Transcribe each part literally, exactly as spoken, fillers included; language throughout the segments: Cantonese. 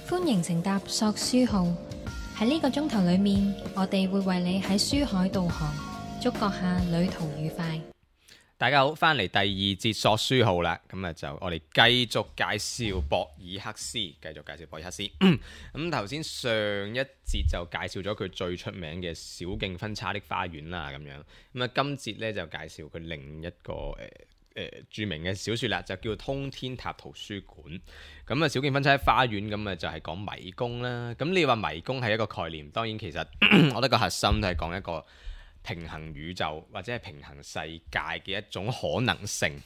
歡迎乘搭索書號，喺呢個鐘頭裏面，我哋會為你喺書海導航，祝閣下旅途愉快。大家好，翻嚟第二節索書號啦，咁啊就我哋繼續介紹博爾赫斯，繼續介紹博爾赫斯。咁頭先上一節就介紹咗佢最出名嘅小徑分叉的花園啦，咁樣。咁啊今節咧就介紹佢另一個誒誒、呃呃、著名嘅小說啦，就叫通天塔圖書館。咁啊小徑分叉的花園咁啊就係講迷宮啦。咁你話迷宮係一個概念，當然其實我覺得個核心都係講一個平衡宇宙或者係平衡世界嘅一種可能性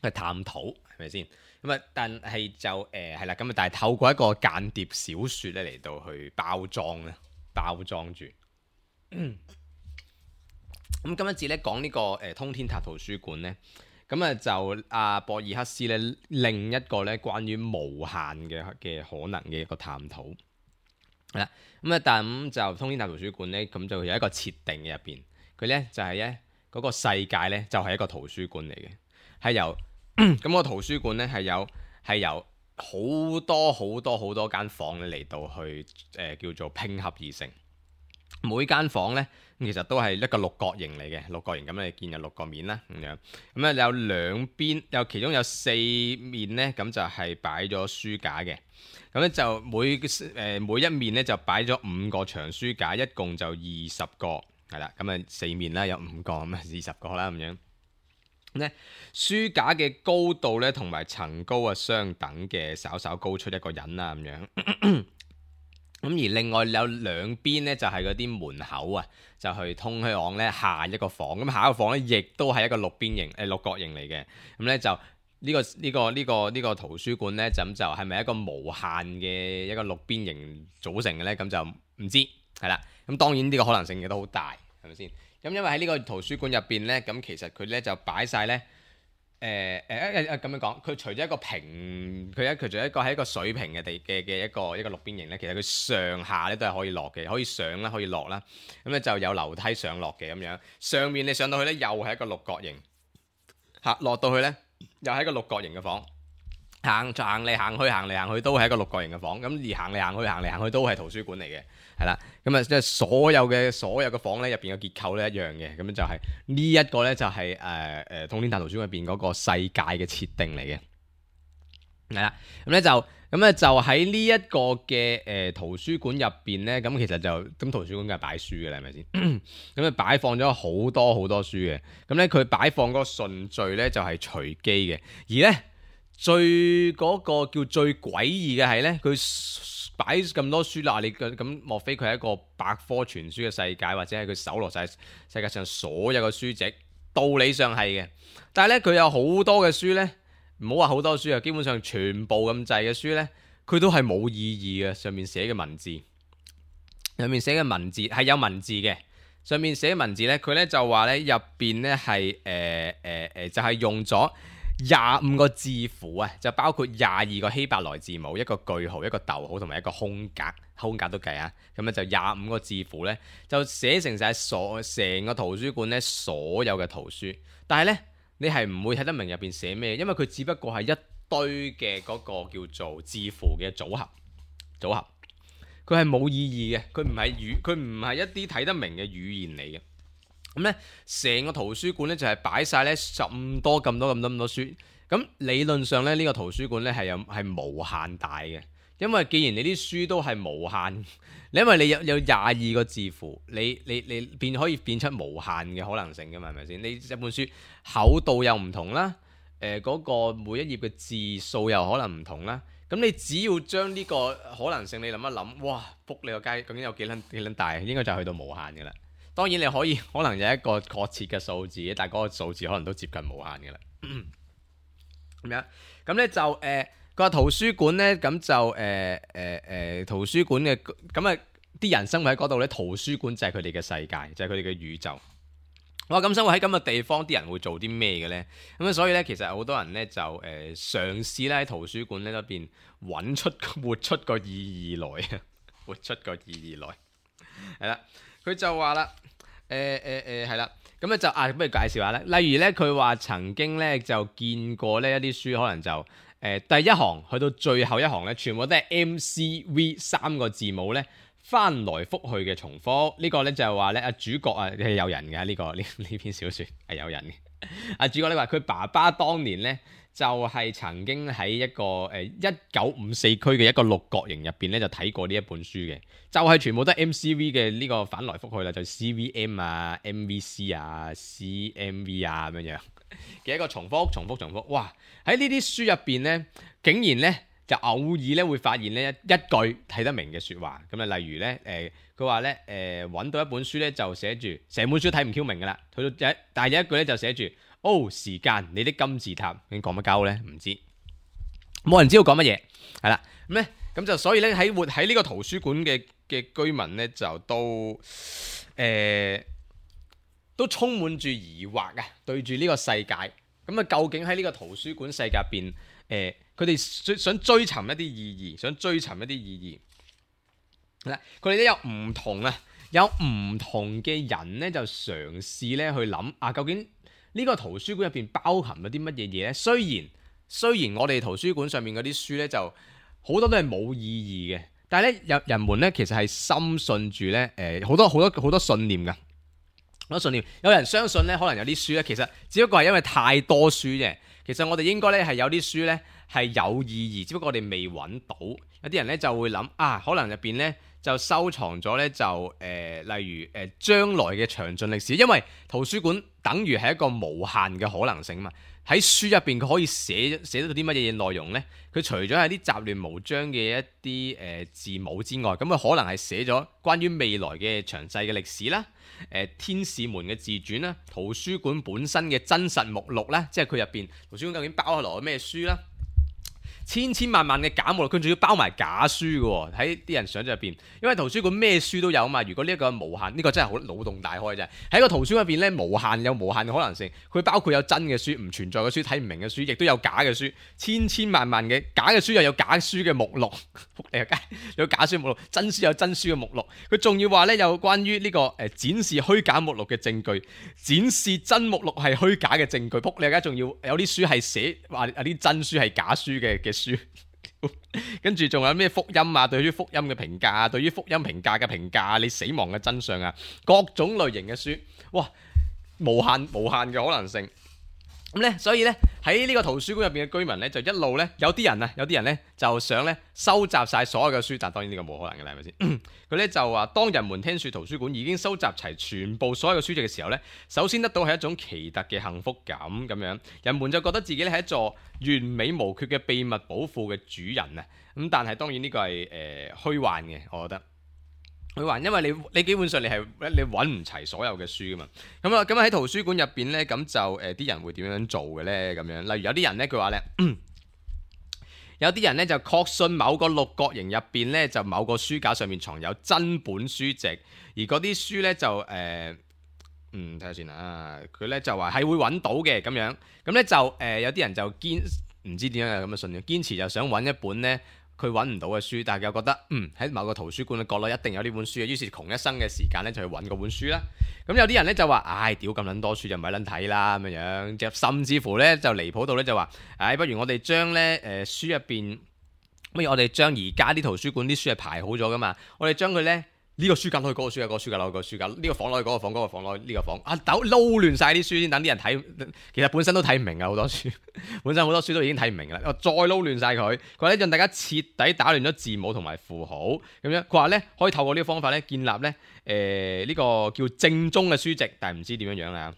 去探討，係咪先？咁啊，但係就誒係啦，咁啊，但係透過一個間諜小説咧嚟到去包裝咧，包裝住。咁、嗯、今一節咧講呢個誒通天塔圖書館咧，咁啊就阿博爾赫斯咧另一個咧關於無限嘅嘅可能嘅一個探討。係啦，咁啊，但咁就通天塔圖書館咧，咁就有一個設定嘅入邊，佢咧就係咧嗰個世界咧就係一個圖書館嚟嘅，係由咁個圖書館咧係有係由好多好多好多間房嚟到去誒、呃、叫做拼合而成，每間房咧其實都係一個六角形嚟嘅，六角形咁你見有六個面啦咁樣，咁咧有兩邊有其中有四面咧咁就係擺咗書架嘅。咁咧就每誒、呃、每一面咧就擺咗五個長書架，一共就二十個，係啦。咁啊四面啦有五個，咁啊二十個啦咁樣。咁咧書架嘅高度咧同埋層高啊相等嘅，稍稍高出一個人啦咁樣。咁而另外有兩邊咧就係嗰啲門口啊，就去通向咧下一個房。咁下一個房咧亦都係一個六邊形誒、呃、六角形嚟嘅。咁咧就。呢、這個呢、這個呢、這個呢、這個圖書館呢，咁就係咪一個無限嘅一個六邊形組成嘅呢？咁就唔知係啦。咁當然呢個可能性亦都好大，係咪先？咁因為喺呢個圖書館入邊呢，咁其實佢呢就擺晒呢。誒誒誒咁樣講，佢除咗一個平，佢一佢除咗一個係一個水平嘅地嘅嘅一個一個六邊形呢，其實佢上下呢都係可以落嘅，可以上啦，可以落啦。咁咧就有樓梯上落嘅咁樣。上面你上到去呢，又係一個六角形，嚇落到去呢。又係一個六角形嘅房，行行嚟行去，行嚟行去都係一個六角形嘅房。咁而行嚟行去，行嚟行去都係圖書館嚟嘅，係啦。咁啊，即係所有嘅所有嘅房咧入邊嘅結構咧一樣嘅。咁樣就係、是、呢一個咧就係誒誒通天塔圖書館入邊嗰個世界嘅設定嚟嘅，係啦。咁咧就咁咧就喺呢一個嘅誒、呃、圖書館入邊咧，咁其實就咁圖書館梗係擺書嘅啦，係咪先？咁啊擺放咗好多好多書嘅，咁咧佢擺放嗰個順序咧就係隨機嘅，而咧最嗰、嗰個叫最詭異嘅係咧，佢擺咁多書啦，你咁莫非佢係一個百科全書嘅世界，或者係佢搜羅晒世界上所有嘅書籍？道理上係嘅，但係咧佢有好多嘅書咧。唔好話好多書啊，基本上全部咁滯嘅書呢，佢都係冇意義嘅。上面寫嘅文字，上面寫嘅文字係有文字嘅。上面寫嘅文字呢，佢呢就話呢入邊呢係誒誒誒，就係、是、用咗廿五個字符啊，就包括廿二個希伯來字母、一個句號、一個逗號同埋一個空格，空格都計啊。咁咧就廿五個字符呢，就寫成晒所成個圖書館呢所有嘅圖書，但係呢。你係唔會睇得明入邊寫咩，因為佢只不過係一堆嘅嗰個叫做字符嘅組合，組合，佢係冇意義嘅，佢唔係語，佢唔係一啲睇得明嘅語言嚟嘅。咁咧，成個圖書館咧就係擺晒咧咁多咁多咁多咁多書。咁理論上咧，呢個圖書館咧係有係無限大嘅，因為既然你啲書都係無限。因為你有有廿二個字符，你你你變可以變出無限嘅可能性㗎嘛，係咪先？你一本書厚度又唔同啦，誒、呃、嗰、嗰個每一頁嘅字數又可能唔同啦。咁你只要將呢個可能性你諗一諗，哇！仆你個街究竟有幾撚幾撚大？應該就去到無限㗎啦。當然你可以可能有一個確切嘅數字，但係嗰個數字可能都接近無限㗎啦。咁樣咁咧就誒。呃個圖書館咧，咁就誒誒誒圖書館嘅咁啊，啲人生活喺嗰度咧，圖書館就係佢哋嘅世界，就係佢哋嘅宇宙。哇！咁生活喺咁嘅地方，啲人會做啲咩嘅咧？咁啊，所以咧，其實好多人咧就誒、呃、嘗試咧喺圖書館咧嗰邊揾出活出個意義來啊，活出個意義來。係啦，佢就話啦，誒誒誒係啦。咁咧就啊，不如介紹下咧。例如咧，佢話曾經咧就見過呢一啲書，可能就誒呃、第一行去到最後一行咧，全部都係 M C V 三個字母咧翻來覆去嘅重複。這個、呢個咧就係話咧啊主角啊係有人嘅呢、這個呢呢篇小説係有人嘅。啊主角咧話佢爸爸當年咧就係、是、曾經喺一個誒一九五四區嘅一個六角形入邊咧就睇過呢一本書嘅，就係、是、全部都係 M C V 嘅呢個翻來覆去啦，就 C V M 啊、M V C 啊、C M V 啊咁樣樣嘅一個重複、重複、重複。哇！喺呢啲書入邊咧，竟然咧就偶爾咧會發現咧一一句睇得明嘅説話。咁啊，例如咧誒，佢話咧誒揾到一本書咧就寫住成本書睇唔 Q 明噶啦，去到一但係有一句咧就寫住。哦，時間，你的金字塔，你講乜鳩咧？唔知，冇人知道講乜嘢，係啦，咁咧，咁就所以咧喺活喺呢個圖書館嘅嘅居民咧，就都誒、呃、都充滿住疑惑啊，對住呢個世界，咁啊，究竟喺呢個圖書館世界入邊，誒佢哋想追尋一啲意義，想追尋一啲意義，嗱，佢哋都有唔同啊，有唔同嘅人咧就嘗試咧去諗啊，究竟呢個圖書館入邊包含咗啲乜嘢嘢呢？雖然雖然我哋圖書館上面嗰啲書呢，就好多都係冇意義嘅，但係咧有人們呢，其實係深信住呢誒好多好多好多信念㗎，好多信念。有人相信呢，可能有啲書呢，其實只不過係因為太多書啫。其實我哋應該呢係有啲書呢係有意義，只不過我哋未揾到。有啲人呢就會諗啊，可能入邊呢，就收藏咗呢，就誒、呃，例如誒、呃、將來嘅詳盡歷史，因為圖書館等於係一個無限嘅可能性嘛。喺書入邊佢可以寫寫到啲乜嘢內容呢？佢除咗係啲雜亂無章嘅一啲誒、呃、字母之外，咁佢可能係寫咗關於未來嘅詳細嘅歷史啦，誒、呃、天使們嘅自傳啦，圖書館本身嘅真實目錄啦，即係佢入邊圖書館究竟包落咗咩書啦？千千萬萬嘅假目錄，佢仲要包埋假書嘅喎，喺啲人想象入邊，因為圖書館咩書都有啊嘛。如果呢一個無限，呢、這個真係好腦洞大開啫。喺個圖書館入邊咧，無限有無限嘅可能性。佢包括有真嘅書、唔存在嘅書、睇唔明嘅書，亦都有假嘅書。千千萬萬嘅假嘅書又有假書嘅目錄，有假書目錄，真書有真書嘅目錄。佢仲要話咧，有關於呢、這個誒、呃、展示虛假目錄嘅證據，展示真目錄係虛假嘅證據。仆你而家仲要有啲書係寫話有啲真書係假書嘅嘅。書，跟住仲有咩福音啊？對於福音嘅評價啊，對於福音評價嘅評價，你死亡嘅真相啊，各種類型嘅書，哇，無限無限嘅可能性。咁咧，所以咧喺呢個圖書館入邊嘅居民咧，就一路咧有啲人啊，有啲人咧就想咧收集晒所有嘅書，但當然呢個冇可能嘅啦，係咪先？佢咧就話，當人們聽說圖書館已經收集齊全部所有嘅書籍嘅時候咧，首先得到係一種奇特嘅幸福感咁樣，人們就覺得自己咧係一座完美無缺嘅秘密寶庫嘅主人啊！咁但係當然呢個係誒虛幻嘅，我覺得。佢話，因為你你基本上你係你揾唔齊所有嘅書噶嘛，咁啊咁喺圖書館入邊咧，咁就誒啲、呃、人會點樣做嘅咧？咁樣，例如有啲人咧，佢話咧，有啲人咧就確信某個六角形入邊咧，就某個書架上面藏有真本書籍，而嗰啲書咧就誒、呃，嗯睇下先啊，佢咧就話係會揾到嘅咁樣，咁咧就誒、呃、有啲人就堅唔知點樣有咁嘅信念，堅持就想揾一本咧。佢揾唔到嘅書，但係又覺得嗯喺某個圖書館嘅角落一定有呢本書嘅，於是窮一生嘅時間咧就去揾嗰本書啦。咁有啲人咧就話：唉，屌咁撚多書就唔係撚睇啦咁樣樣，甚至乎咧就離譜到咧就話：唉，不如我哋將咧誒書入邊，不如我哋將而家啲圖書館啲書係排好咗噶嘛，我哋將佢咧。呢個書架攞去嗰個書架，嗰個書架攞去嗰個書架，呢個房攞去嗰個房，嗰個房攞去呢個房。啊，抖撈亂晒啲書先，等啲人睇。其實本身都睇唔明啊，好多書，本身好多書都已經睇唔明啦。我再撈亂晒佢，佢話咧讓大家徹底打亂咗字母同埋符號咁樣。佢話咧可以透過呢個方法咧建立咧誒呢個叫正宗嘅書籍，但係唔知點樣樣啦。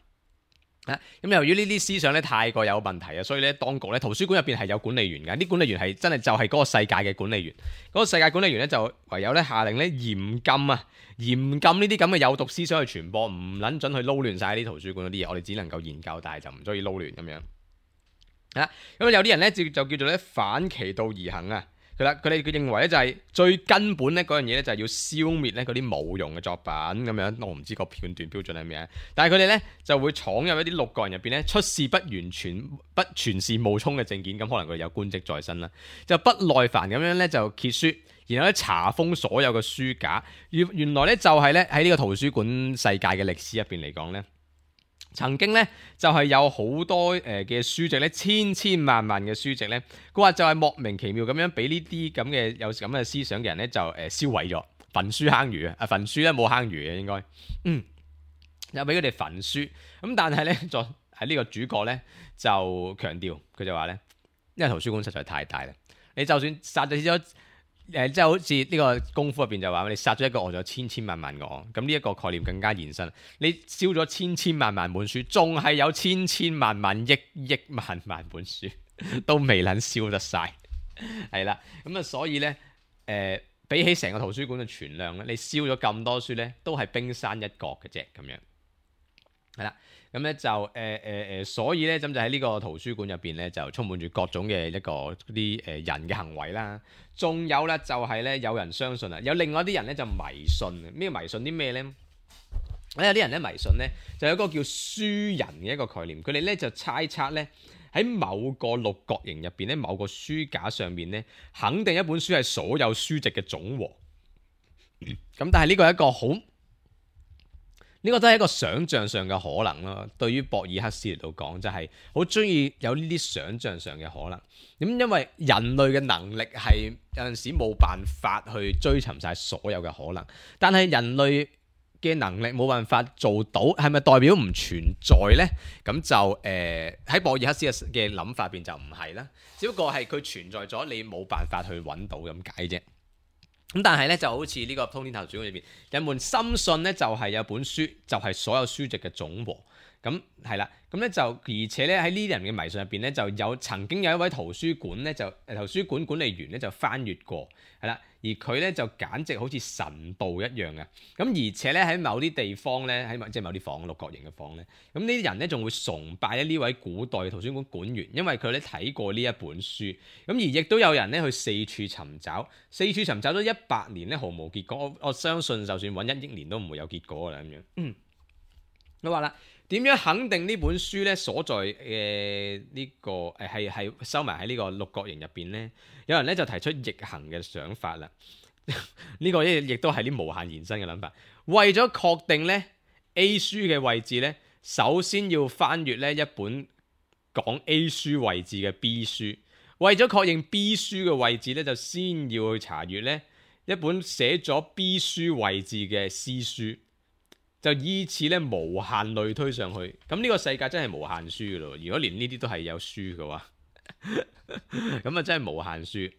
咁、嗯、由於呢啲思想咧太過有問題啊，所以咧當局咧圖書館入邊係有管理員嘅，啲管理員係真係就係嗰個世界嘅管理員，嗰、嗰個世界管理員咧就唯有咧下令咧嚴禁啊，嚴禁呢啲咁嘅有毒思想去傳播，唔撚準去撈亂晒啲圖書館嗰啲嘢，我哋只能夠研究，但係就唔中意撈亂咁樣。啊，咁有啲人咧就就叫做咧反其道而行啊。佢啦，佢哋佢認為咧就係最根本咧嗰樣嘢咧就係要消滅咧嗰啲冇用嘅作品咁樣，我唔知個判斷標準係咩，但係佢哋咧就會闖入一啲六角形入邊咧出示不完全不全是冒充嘅證件，咁可能佢哋有官職在身啦，就不耐煩咁樣咧就揭書，然後咧查封所有嘅書架，原原來咧就係咧喺呢個圖書館世界嘅歷史入邊嚟講咧。曾經咧就係、是、有好多誒嘅書籍咧，千千萬萬嘅書籍咧，佢話就係莫名其妙咁樣俾呢啲咁嘅有咁嘅思想嘅人咧就誒燒毀咗，焚書坑儒啊！啊焚書咧冇坑儒嘅應該，嗯，又俾佢哋焚書。咁但係咧，就喺呢個主角咧就強調，佢就話咧，因為圖書館實在太大啦，你就算殺咗。誒，即係好似呢個功夫入邊就話，你殺咗一個我，就有千千萬萬個我。咁呢一個概念更加延伸。你燒咗千千萬萬本書，仲係有千千萬萬億億萬萬本書，都未能燒得晒。係啦，咁啊，所以咧，誒、呃，比起成個圖書館嘅存量咧，你燒咗咁多書咧，都係冰山一角嘅啫，咁樣。係啦。咁咧就誒誒誒，所以咧咁就喺呢個圖書館入邊咧，就充滿住各種嘅一個啲誒人嘅行為啦。仲有咧就係咧，有人相信啊，有另外啲人咧就迷信啊。咩迷信啲咩咧？有啲人咧迷信咧，就有一個叫書人嘅一個概念。佢哋咧就猜測咧，喺某個六角形入邊咧，某個書架上面咧，肯定一本書係所有書籍嘅總和。咁但係呢個係一個好。呢個都係一個想像上嘅可能咯。對於博爾克斯嚟到講，就係好中意有呢啲想像上嘅可能。咁因為人類嘅能力係有陣時冇辦法去追尋晒所有嘅可能，但係人類嘅能力冇辦法做到，係咪代表唔存在呢？咁就誒喺、呃、博爾克斯嘅嘅諗法入邊就唔係啦，只不過係佢存在咗，你冇辦法去揾到咁解啫。咁但係咧就好似呢個通天圖書館裏邊，人們深信咧就係有本書就係所有書籍嘅總和。咁係啦，咁咧就而且咧喺呢啲人嘅迷信入邊咧，就有曾經有一位圖書館咧就誒圖書館管理員咧就翻閱過，係啦，而佢咧就簡直好似神道一樣嘅。咁而且咧喺某啲地方咧，喺即係某啲房六角形嘅房咧，咁呢啲人咧仲會崇拜咧呢位古代圖書館館員，因為佢咧睇過呢一本書。咁而亦都有人咧去四處尋找，四處尋找咗一百年咧毫無結果。我我相信就算揾一億年都唔會有結果㗎啦咁樣。嗯，我話啦。點樣肯定呢本書咧所在嘅呢、這個誒係係收埋喺呢個六角形入邊咧？有人咧就提出逆行嘅想法啦。呢個亦亦都係啲無限延伸嘅諗法。為咗確定咧 A 書嘅位置咧，首先要翻閱咧一本講 A 書位置嘅 B 書。為咗確認 B 書嘅位置咧，就先要去查閱咧一本寫咗 B 書位置嘅 C 書。就依次咧無限類推上去，咁呢個世界真係無限書嘅咯。如果連呢啲都係有書嘅話，咁啊真係無限書。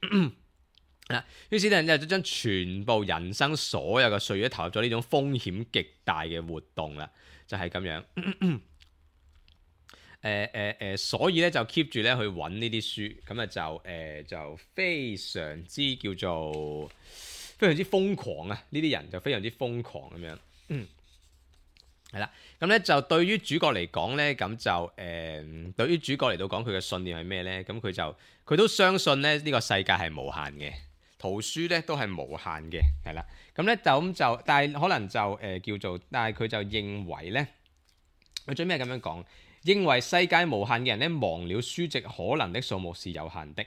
嗱，於是咧就將全部人生所有嘅歲月投入咗呢種風險極大嘅活動啦，就係、是、咁樣。誒誒誒，所以咧就 keep 住咧去揾呢啲書，咁啊就誒、呃、就非常之叫做非常之瘋狂啊！呢啲人就非常之瘋狂咁樣。嗯係啦，咁咧就對於主角嚟講咧，咁就誒、呃，對於主角嚟到講佢嘅信念係咩咧？咁佢就佢都相信咧呢個世界係無限嘅，圖書咧都係無限嘅，係啦。咁咧就咁就，但係可能就誒、呃、叫做，但係佢就認為咧，佢最尾係咁樣講，認為世界無限嘅人咧，忘了書籍可能的數目是有限的。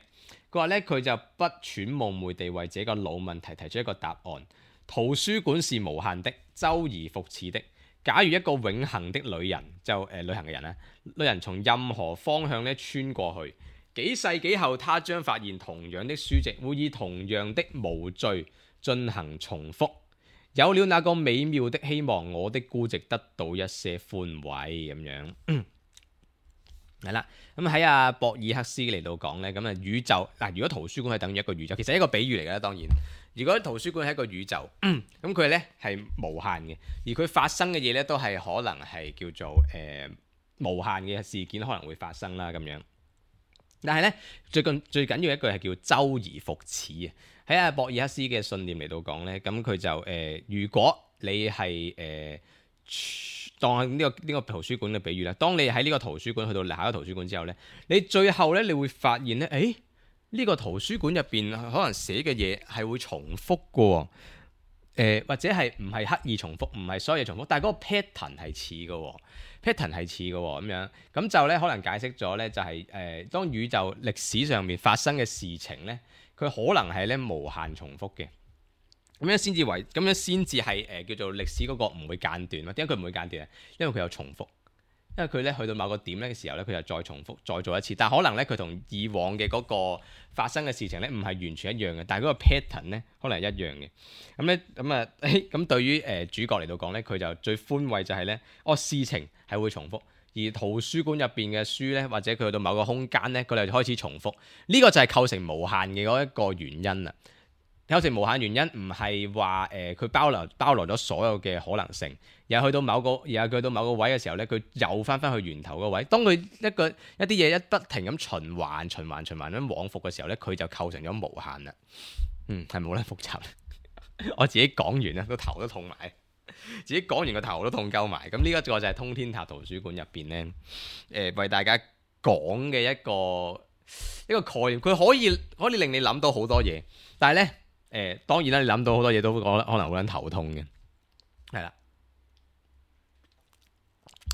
佢話咧，佢就不揣冒昧地為這個老問題提出一個答案：圖書館是無限的，周而復始的。假如一個永恆的旅人就誒、呃、旅行嘅人咧，旅人從任何方向咧穿過去，幾世紀後，他將發現同樣的書籍會以同樣的無序進行重複。有了那個美妙的希望，我的孤寂得到一些寬慰咁樣。係啦，咁喺阿博爾克斯嚟到講咧，咁啊宇宙嗱，如果圖書館係等於一個宇宙，其實係一個比喻嚟嘅啦，當然。如果圖書館係一個宇宙，咁佢咧係無限嘅，而佢發生嘅嘢咧都係可能係叫做誒、呃、無限嘅事件可能會發生啦咁樣。但係咧最近最緊要一句係叫周而復始啊！喺阿博爾克斯嘅信念嚟到講咧，咁佢就誒、呃，如果你係誒、呃、當呢、這個呢、這個圖書館嘅比喻啦，當你喺呢個圖書館去到下一個圖書館之後咧，你最後咧你會發現咧，誒。呢個圖書館入邊可能寫嘅嘢係會重複嘅、哦，誒、呃、或者係唔係刻意重複，唔係所有嘢重複，但係嗰個 pattern 係似嘅、哦、pattern 係似嘅咁樣，咁就咧可能解釋咗咧就係、是、誒、呃、當宇宙歷史上面發生嘅事情咧，佢可能係咧無限重複嘅，咁樣先至為咁樣先至係誒叫做歷史嗰個唔會間斷咯。點解佢唔會間斷啊？因為佢有重複，為佢咧去到某個點咧嘅時候咧，佢就再重複再做一次，但可能咧佢同以往嘅嗰個發生嘅事情咧唔係完全一樣嘅，但係嗰個 pattern 咧可能係一樣嘅。咁咧咁啊，咁對於誒、呃、主角嚟到講咧，佢就最寬慰就係咧，哦事情係會重複。而圖書館入邊嘅書咧，或者佢去到某個空間咧，佢哋就開始重複。呢、這個就係構成無限嘅嗰一個原因啦。構成無限原因唔係話誒佢包留包羅咗所有嘅可能性，而係去到某個，而係去到某個位嘅時候咧，佢又翻翻去源頭個位。當佢一個一啲嘢一不停咁循環、循環、循環咁往復嘅時候咧，佢就構成咗無限啦。嗯，係冇得複雜。我自己講完啦，都頭都痛埋。自己講完個頭都痛鳩埋，咁呢一個就係通天塔圖書館入邊呢，誒、呃、為大家講嘅一個一個概念，佢可以可以令你諗到好多嘢，但係呢，誒、呃、當然啦，你諗到好多嘢都可可能好撚頭痛嘅，係啦。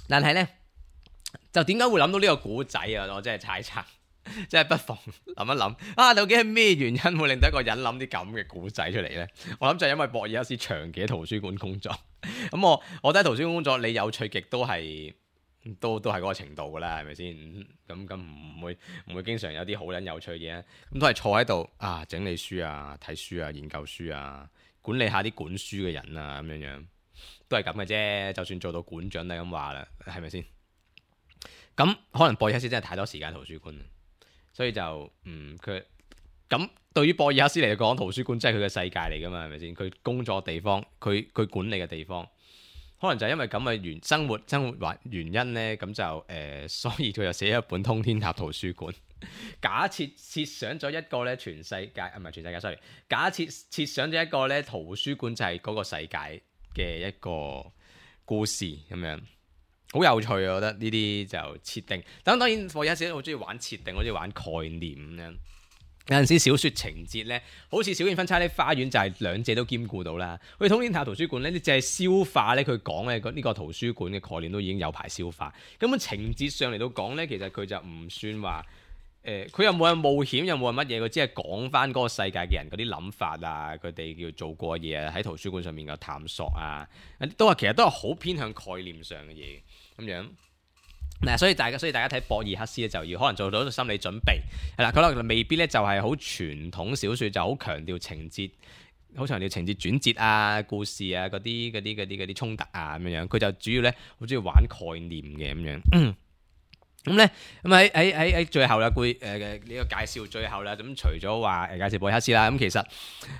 但係呢，就點解會諗到呢個古仔啊？我真係猜測。即係不妨諗一諗啊，究竟係咩原因會令到一個人諗啲咁嘅古仔出嚟呢？我諗就係因為博爾克斯長期喺圖書館工作，咁我我覺得圖書館工作你有趣極都係都都係嗰個程度噶啦，係咪先？咁咁唔會唔會經常有啲好撚有趣嘅嘢，咁都係坐喺度啊，整理書啊，睇書啊，研究書啊，管理下啲管書嘅人啊，咁樣樣都係咁嘅啫。就算做到館長都係咁話啦，係咪先？咁可能博爾克斯真係太多時間喺圖書館。所以就嗯佢咁對於博爾克斯嚟講，圖書館真係佢嘅世界嚟㗎嘛，係咪先？佢工作地方，佢佢管理嘅地方，可能就係因為咁嘅原生活生活原原因呢，咁就誒、呃，所以佢就寫一本《通天塔圖書館》。假設設想咗一個咧全世界啊，唔係全世界 sorry，假設設想咗一個咧圖書館就係嗰個世界嘅一個故事咁樣。好有趣啊！我覺得呢啲就設定，但當然我有陣時好中意玩設定，好中意玩概念咁樣。有陣時小説情節呢，好似小燕分叉的花園就係兩者都兼顧到啦。好似通天塔圖書館呢，你淨係消化呢，佢講嘅呢個圖書館嘅概念都已經有排消化。根本情節上嚟到講呢，其實佢就唔算話誒，佢、呃、又冇人冒險，又冇人乜嘢，佢只係講翻嗰個世界嘅人嗰啲諗法啊，佢哋叫做過嘢啊，喺圖書館上面嘅探索啊，都係其實都係好偏向概念上嘅嘢。咁樣嗱，所以大家所以大家睇博爾克斯咧，就要可能做到心理準備係啦。佢可能未必咧就係好傳統小説，就好強調情節，好強調情節轉折啊、故事啊嗰啲嗰啲嗰啲嗰啲衝突啊咁樣。佢就主要咧好中意玩概念嘅咁樣。咁咧咁喺喺喺喺最後啦，會誒嘅呢個介紹最後啦。咁除咗話誒介紹博爾克斯啦，咁其實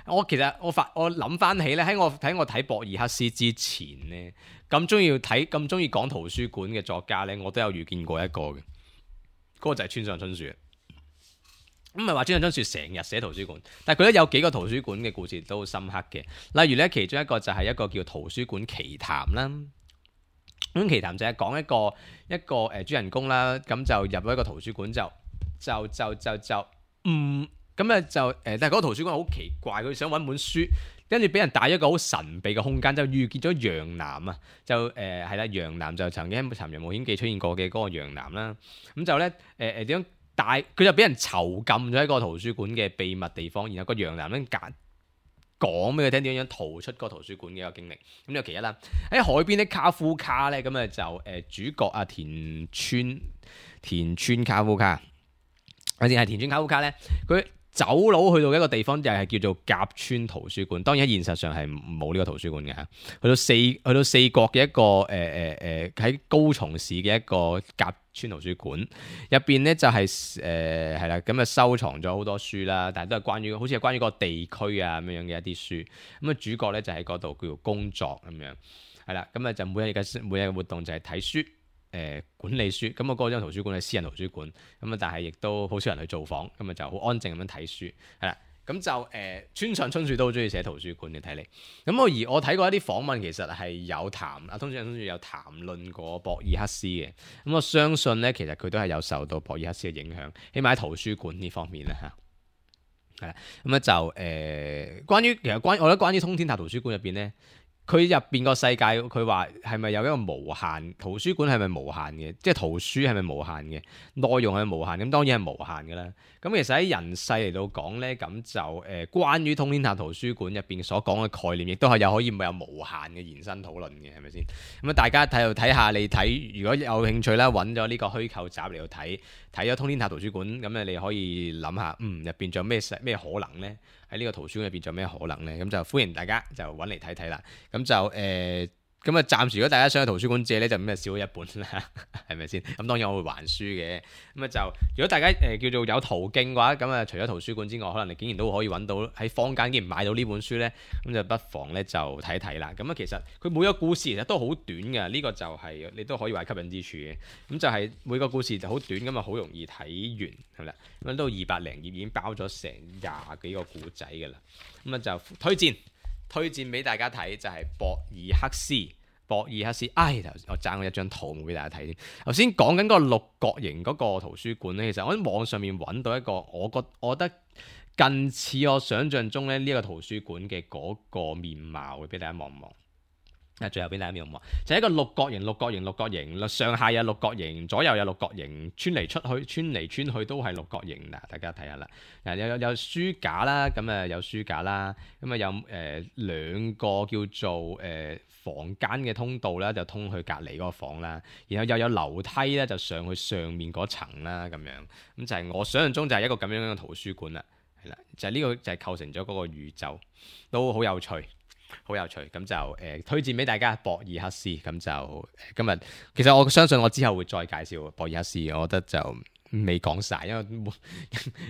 我其實我發我諗翻起咧，喺我喺我睇博爾克斯之前咧。咁中意睇咁中意講圖書館嘅作家呢，我都有遇見過一個嘅，嗰、嗰個就係村上春樹。咁唔係話村上春樹成日寫圖書館，但係佢都有幾個圖書館嘅故事都好深刻嘅。例如呢，其中一個就係一個叫圖書館奇談啦。咁奇談就係講一個一個誒主人公啦，咁就入咗一個圖書館就就就就就嗯咁啊就誒，但係嗰個圖書館好奇怪，佢想揾本書。跟住俾人帶咗一個好神秘嘅空間，就遇見咗楊楠啊！就誒係啦，楊楠就曾經喺《尋人冒險記》出現過嘅嗰個楊楠啦。咁就咧誒誒點樣帶佢就俾人囚禁咗喺個圖書館嘅秘密地方，然後個楊楠咧講講俾佢聽點樣逃出個圖書館嘅一個經歷。咁有其一啦，喺海邊啲卡夫卡咧，咁啊就誒、呃、主角啊田村田村卡夫卡，或者係田村卡夫卡咧，佢。走佬去到一個地方就係叫做甲村圖書館，當然喺現實上係冇呢個圖書館嘅嚇。去到四去到四國嘅一個誒誒誒喺高松市嘅一個甲村圖書館入邊咧，就係誒係啦，咁啊收藏咗好多書啦，但係都係關於好似係關於個地區啊咁樣嘅一啲書。咁啊主角咧就喺嗰度叫做工作咁樣，係啦，咁啊就每日嘅每日嘅活動就係睇書。誒、呃、管理書，咁我嗰張圖書館係私人圖書館，咁啊但係亦都好少人去造訪，咁啊就好安靜咁樣睇書，係啦，咁就誒、呃、村上春樹都好中意寫圖書館嘅睇嚟，咁我而我睇過一啲訪問，其實係有談啊，村上春樹有談論過博爾克斯嘅，咁我相信咧其實佢都係有受到博爾克斯嘅影響，起碼喺圖書館呢方面啦嚇，係啦，咁咧就誒、呃、關於其實關我覺得關於通天塔圖書館入邊咧。佢入邊個世界，佢話係咪有一個無限圖書館係咪無限嘅？即係圖書係咪無限嘅？內容係咪無限？咁當然係無限嘅啦。咁其實喺人世嚟到講呢，咁就誒、呃、關於通天塔圖書館入邊所講嘅概念，亦都係有可以有無限嘅延伸討論嘅，係咪先？咁啊，大家睇度睇下，你睇如果有興趣啦，揾咗呢個虛構集嚟到睇，睇咗通天塔圖書館，咁咧你可以諗下，嗯，入邊仲有咩咩可能呢？喺呢個圖書館入邊仲有咩可能呢？咁就歡迎大家就揾嚟睇睇啦。咁就誒。呃咁啊，暫時如果大家想去圖書館借咧，就咁啊少咗一本啦，係咪先？咁當然我會還書嘅。咁啊就如果大家誒、呃、叫做有途徑嘅話，咁啊除咗圖書館之外，可能你竟然都可以揾到喺坊間竟然買到呢本書咧，咁就不妨咧就睇一睇啦。咁啊其實佢每個故事其實都好短嘅，呢、這個就係、是、你都可以話吸引之處嘅。咁就係每個故事就好短，咁啊好容易睇完係啦。咁都二百零頁已經包咗成廿幾個故仔㗎啦。咁啊就推薦。推薦俾大家睇就係、是、博爾克斯，博爾克斯，唉，我爭咗一張圖冇俾大家睇。頭先講緊嗰個六角形嗰個圖書館咧，其實我喺網上面揾到一個，我覺我覺得近似我想象中咧呢一個圖書館嘅嗰個面貌嘅，俾大家望望。啊，最後俾大家望望，就係、是、一個六角形、六角形、六角形，上下有六角形，左右有六角形，穿嚟出去、穿嚟穿去都係六角形嗱，大家睇下啦。嗱，有有有書架啦，咁啊有書架啦，咁啊有誒、呃、兩個叫做誒、呃、房間嘅通道啦，就通去隔離嗰個房啦，然後又有樓梯咧，就上去上面嗰層啦，咁樣咁就係我想象中就係一個咁樣樣嘅圖書館啦，係啦，就係、是、呢個就係構成咗嗰個宇宙，都好有趣。好有趣，咁就誒、呃、推薦俾大家博爾克斯，咁就、呃、今日其實我相信我之後會再介紹博爾克斯，我覺得就未講晒，因為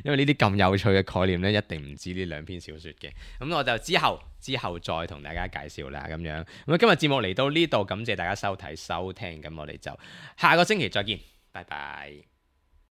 因為呢啲咁有趣嘅概念咧，一定唔止呢兩篇小説嘅，咁我就之後之後再同大家介紹啦，咁樣咁今日節目嚟到呢度，感謝大家收睇收聽，咁我哋就下個星期再見，拜拜。